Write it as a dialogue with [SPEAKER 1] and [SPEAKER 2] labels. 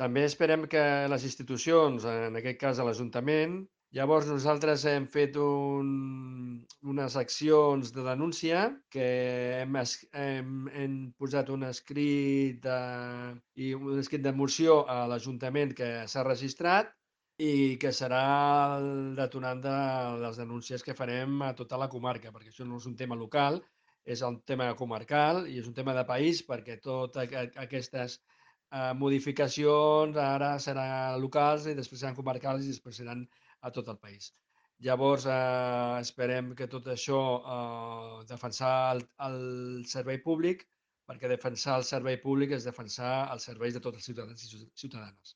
[SPEAKER 1] També esperem que les institucions, en aquest cas a l'Ajuntament, llavors nosaltres hem fet unes accions de denúncia que hem posat un escrit i un escrit de moció a l'Ajuntament que s'ha registrat i que serà el detonant de les denúncies que farem a tota la comarca, perquè això no és un tema local, és un tema comarcal i és un tema de país perquè totes aquestes modificacions ara seran locals i després seran comarcals i després seran a tot el país. Llavors, esperem que tot això, defensar el servei públic, perquè defensar el servei públic és defensar els serveis de tots els ciutadans i ciutadanes.